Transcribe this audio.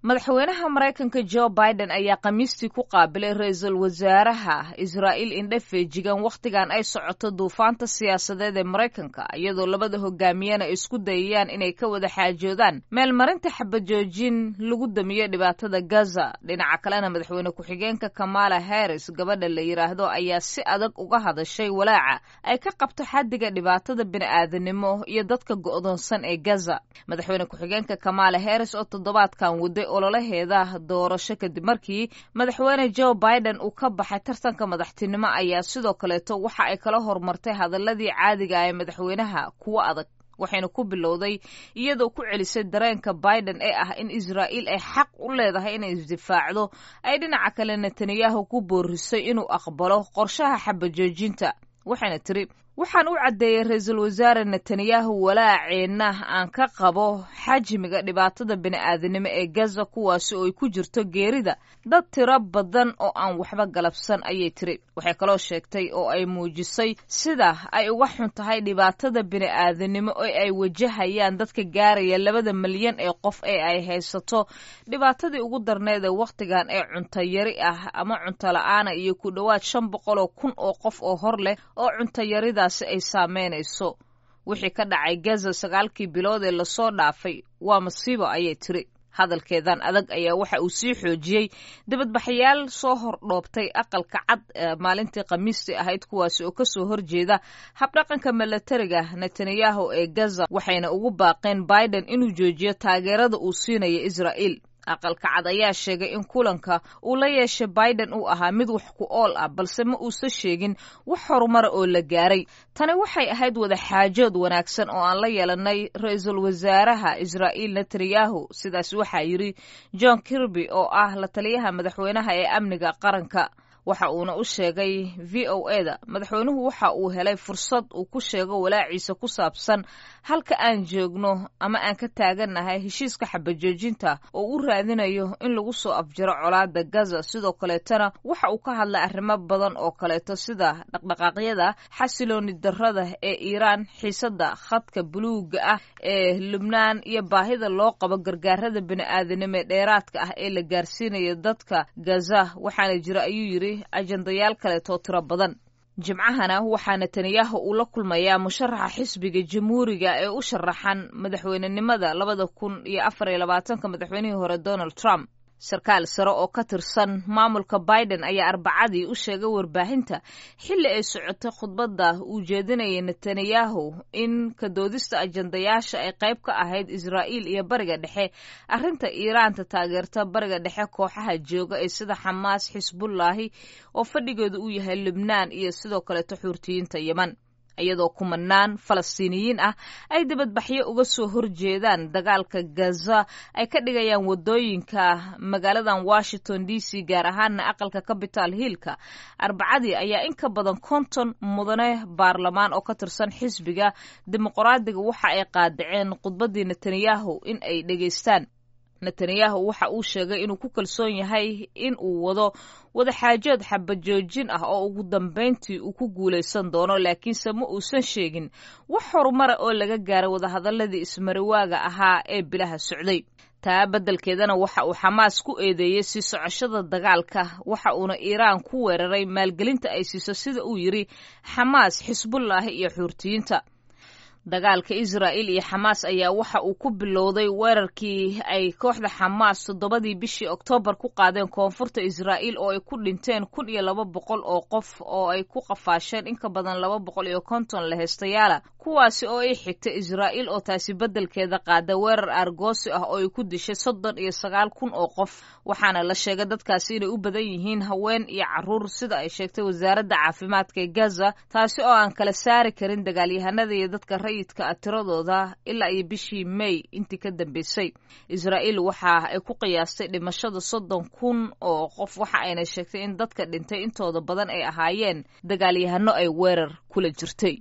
Madaxweynaha Maraykanka Jo Biden ayaa Khamiistii ku qaabilay ra-iisul wasaaraha Israa'iil indhe feejigan wakhtigan ay socoto duufaanta siyaasadeed ee Maraykanka, iyadoo labada hogaamiyena isku dayayaan inay ka wada xaajoodaan meelmarinta xabajoojin lagu damiyo dhibaatada Gaza. Dhinaca kalena, madaxweyne ku-xigeenka Kamala Harris gabadha la yidhaahdo ayaa si adag uga hadashay walaaca ay ka qabto xaddiga dhibaatada bini'aadanimo iyo dadka go'doonsan ee Gaza. Madaxweyne ku-xigeenka Kamala Harris oo toddobaadkan waday ololaheeda doorasho kadib markii madaxweyne Joe Biden uu ka baxay tartanka madaxtinimo ayaa sidoo kaleeto waxa ay kala hormartay hadaladii caadiga ah ee madaxweynaha kuwo adag, waxayna ku bilowday iyadoo ku celisay dareenka Biden ee ah in Israa'iil ay xaq u leedahay inay isdifaacdo, ay dhinaca kale Netanyahu ku boorisay inuu aqbalo qorshaha xabajoojinta. Waxayna tiri: "Waxaan u caddeeyey ra-iisul wasaare Netanyahu walaaceenna aan ka qabo xajmiga dhibaatada bini'aadanimo ee Gaza, kuwaasi oo ay ku jirto geerida dad tiro badan oo aan waxba galabsan," ayay tiri. Waxay kaloo sheegtay oo ay muujisay sida ay uga xun tahay dhibaatada bini'aadanimo ee ay wajahayaan dadka gaaraya 2da milyan ee qof ee ay haysato dhibaatadii ugu darneed ee wakhtigan ee cunto yari ah ama cunto la'aana, iyo ku dhowaad 500,000 oo qof oo hor leh oo cunto yaridaasi ay saameynayso. "Wixii ka dhacay Gaza 9kii bilood ee lasoo dhaafay waa masiibo," ayay tiri. Hadalkeedan adag ayaa waxa uu sii xoojiyey dibadbaxyaal soo hordhoobtay Aqalka Cad maalintii Khamiistii ahayd, kuwaasi oo kasoo horjeeda habdhaqanka milatariga Netanyahu ee Gaza, waxayna ugu baaqeen Biden inuu joojiyo taageerada uu siinayo Israa'iil. Aqalka Cad ayaa sheegay in kulanka uu la yeeshay Biden uu ahaa mid wax ku ool ah, balse ma uusan sheegin wax horumara oo la gaaray. "Tani waxay ahayd wada xaajood wanaagsan oo aan la yeelanay ra-iisul wasaaraha Israa'iil Netanyahu," sidaas waxaa yidhi John Kirby oo ah la taliyaha madaxweynaha ee amniga qaranka. Waxa uuna u sheegay VOA da madaxweynuhu waxa uu helay fursad uu ku sheego walaaciisa ku saabsan halka aan joogno ama aan ka taagannahay heshiiska xabajoojinta oo u raadinayo in lagu soo afjaro colaada Gaza. Sidoo kaleetona waxa uu ka hadlay arrimo badan oo kaleeto, sida dhaqdhaqaaqyada xasilooni darrada ee Iiraan, xiisada khadka buluuga ah ee Lubnaan iyo baahida loo qabo gargaarada bini'aadanimo ee dheeraadka ah ee la gaarsiinayo dadka Gaza. "Waxaana jira," ayuu yidhi, "ajandayaal kaleetoo tiro badan." Jimcahana waxaa Netanyahu uu la kulmayaa musharaxa xisbiga Jamhuuriga ee u sharaxan madaxweynenimada 2024-ka, madaxweynihii hore Donald Trump. Sarkaal sare oo ka tirsan maamulka Biden ayaa Arbacadii u sheegay warbaahinta xilli ay socotay khudbadda uu jeedinayay Netanyahu in ka doodista ajandayaasha ay qayb ka ahayd Israa'iil iyo Bariga Dhexe, arrinta Iiraanta taageerta Bariga Dhexe, kooxaha jooga ee sida Xamaas, Xisbullaahi oo fadhigeedu uu yahay Lubnaan iyo sidoo kaleeto Xuurtiyiinta Yeman, iyadoo kumanaan Falastiiniyiin ah ay dibadbaxyo uga soo horjeedaan dagaalka Gaza ay ka dhigayaan wadooyinka magaaladan Washington DC, gaar ahaana aqalka Capital Hillka. Arbacadii ayaa in ka badan 50 mudane baarlamaan oo ka tirsan xisbiga Dimuqraadiga waxa ay qaadaceen khudbaddii Netanyahu in ay dhegaystaan. Netanyahu waxa uu sheegay inuu ku kalsoon yahay in uu wado wadaxaajood xabajoojin ah oo ugu dambeyntii uu ku guulaysan doono, laakiinse ma uusan sheegin wax horumara oo laga gaaray wadahadaladii ismariwaaga ahaa ee bilaha socday. Taa beddelkeedana waxa uu Xamaas ku eedeeyey sii socoshada dagaalka, waxa uuna Iiraan ku weeraray maalgelinta ay siiso, sida uu yidhi, Xamaas, Xisbullaahi iyo Xuurtiyiinta. Dagaalka Israa'iil iyo Xamaas ayaa waxa uu ku bilowday weerarkii ay kooxda Xamaas 7dii bishii Oktoobar ku qaadeen koonfurta Israa'iil oo ay ku dhinteen 1200 oo qof oo ay ku qafaasheen in ka badan 250 laheystayaala, kuwaasi oo ay xigtay Israa'iil oo taasi beddelkeeda qaada weerar aargoosi ah oo ay ku dishay 39,000 oo qof, waxaana la sheegay dadkaasi inay u badan yihiin haween iyo caruur, sida ay sheegtay wasaaradda caafimaadka ee Gaza, taasi oo aan kala saari karin dagaalyahanada iyo dadka rayidka ah tiradooda ilaa iyo bishii May intii ka dambeysay. Israa'iil waxa ay ku qiyaastay dhimashada 30,000 oo qof, waxa ayna sheegtay in dadka dhintay intooda badan ay ahaayeen dagaalyahano ay weerar kula jirtay.